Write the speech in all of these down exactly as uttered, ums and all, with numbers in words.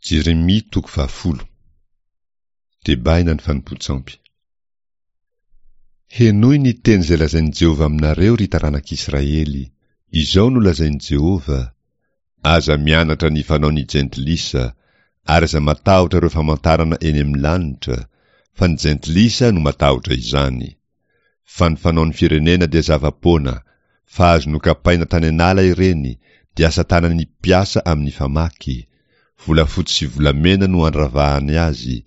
Jeremia toko fahafolo. Tebaina ny fanompoan-tsampy. Henoy ny teny izay lazain'i Jehovah aminareo, ry taranak'Israely. Izao no lazain'i Jehovah, Aza mianatra ny fanaon'ny jentilisa, ary aza matahotra ireo famantarana eny amin'ny lanitra, fa ny jentilisa no matahotra izany. Fa ny fanaon'ny firenena dia zava-poana, fa azo nokapaina tany an'ala ireny, dia asa tanan'ny mpiasa amin'ny famaky, volafotsy sy volamena no andravahany azy,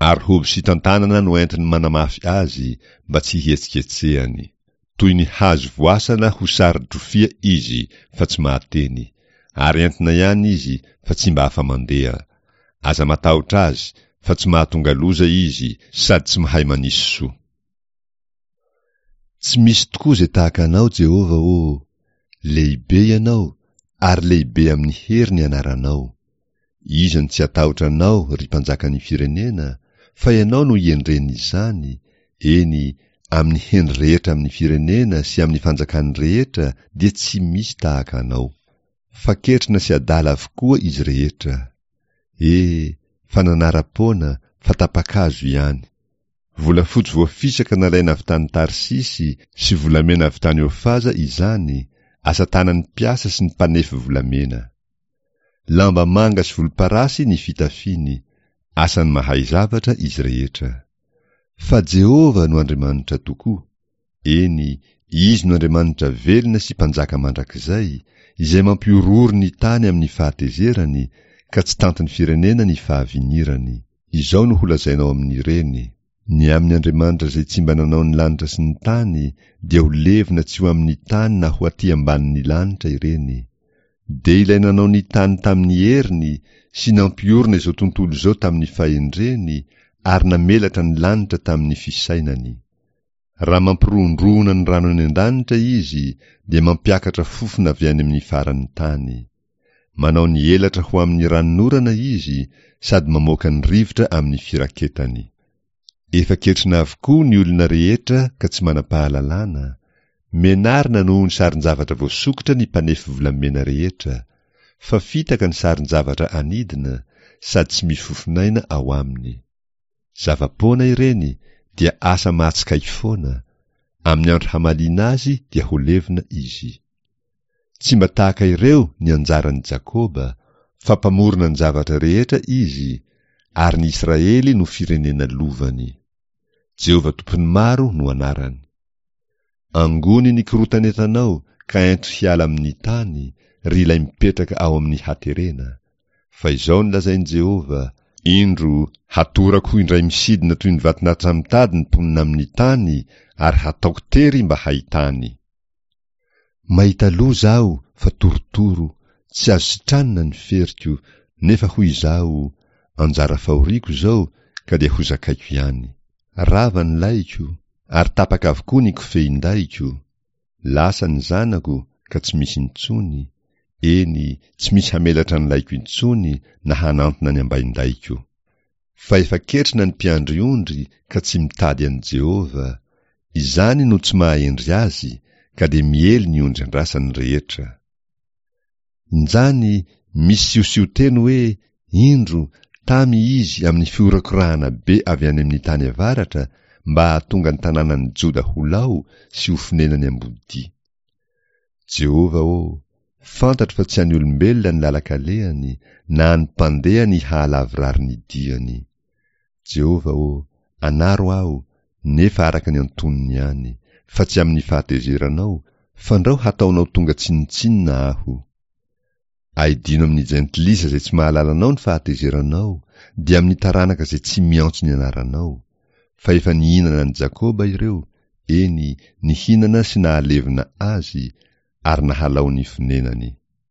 ary hoby sy tantanana no entiny manamafy azy mba tsy hihetsiketsehany. Toy ny hazo voasana ho saro-drofia izy fa tsy mahateny, ary entina ihany izy fa tsy mba afa-mandeha. Aza matahotra azy fa tsy mahatonga loza izy sady tsy mahay manisy soa. Tsy misy tokoa izay tahaka Anao, Jehovah ô! Lehibe Ianao, ary lehibe amin'ny hery ny anaranao. Iza no tsy hatahotra Anao, ry Mpanjakan'ny firenena, fa Ianao no iendren'izany, eny, amin'ny hendry rehetra amin'ny firenena sy amin'ny fanjakany rehetra dia tsy misy tahaka Anao. Fa ketrina sy adala avokoa izy rehetra. E, fa nanara-poana, fa tapa-kazo ihany. Volafotsy voafisaka nalaina avy tany Tarsisy sy volamena avy tany Ofaza izany, asa tanan'ny mpiasa sy ny mpanefy volamena. Lamba manga sy volomparasy ny fitafiany, asan'ny mahay zavatra izy rehetra. Fa Jehovah no Andriamanitra tokoa, eny, Izy no Andriamanitra velona sy Mpanjaka mandrakizay, izay mampihorohoro ny tany amin'ny fahatezerany, ka tsy tantin'ny firenena ny fahavinirany. Izao no holazainao amin'ireny, Ny amin'ny Andriamanitra izay tsy mba nanao ny lanitra sy ny tany, dia ho levona tsy ho amin'ny tany na ho aty ambanin'ny lanitra ireny. Dia ilay nanao ny tany tamin'ny heriny sy nampiorina izao tontolo izao tamin'ny fahendreny ary namelatra ny lanitra tamin'ny fisainany. Raha mampirohondrohona ny rano any an-danitra izy, dia mampiakatra fofona avy any amin'ny faran'ny tany. Manao ny elatra ho amin'ny ranonorana izy sady mamoaka ny rivotra amin'ny firaketany. Efa ketrina avokoa ny olona rehetra ka tsy manam-pahalalana, menarina noho ny sarin-javatra voasokitra ny mpanefy volamena rehetra, fa fitaka ny sarin-javatra anidina sady tsy misy fofon'aina ao aminy. Zava-poana ireny dia asa mahatsikaiky foana, amin'ny andro hamaliana azy dia ho levona izy. Tsy mba tahaka ireo ny anjaran'i Jakoba, fa mpamorona ny zavatra rehetra izy, ary ny Israely no firenena lovany. Jehovah Tompon'ny maro no anarany. Angony ny korotan'entanao ka ento hiala amin'ny tany, ry ilay mipetraka ao amin'ny haterena. Fa izao no lazain'i Jehovah, Indro, hatorako ho indray misidina toy ny vaton'atsamitady ny mponina amin'ny tany, ary hataoko tery mba hahitany. Mahita loza aho fa torotoro, tsy azo sitranina ny feriko, nefa hoy izaho, anjara fahoriako izao ka dia hozakaiko ihany. Rava ny lahiko, ary tapaka avokoa ny kofehin-dahiko, lasa ny zanako ka tsy misy intsony, eny, tsy misy hamelatra ny lahiko intsony na hanantona ny ambain-dahiko. Fa efa ketrina ny mpiandry ondry ka tsy mitady an'i Jehovah, izany no tsy maha-hendry azy, ka dia miely ny ondry andrasany rehetra. Injany misy siosion-teny hoe, Indro, tamy izy amin'ny fihorakorahana be avy any amin'ny tany avaratra mba hahatonga ny tanànan'i Joda ho lao sy ho fonenan'ny ambodia. Jehovah ô, fantatro fa tsy an'ny olombelona ny lalan-kalehany, na an'ny mpandeha ny hahalavorary ny diany. Jehovah ô, anaro aho, nefa araka ny antonony ihany, fa tsy amin'ny fahatezeranao, fandrao hataonao tonga tsinontsinona aho. Aidino amin'ny jentilisa izay tsy mahalala Anao ny fahatezeranao, dia amin'ny taranaka izay tsy miantso ny anaranao. Fa efa nihinana an'i Jakoba ireo, eny, nihinana sy nahalevona azy, ary nahalao ny fonenany.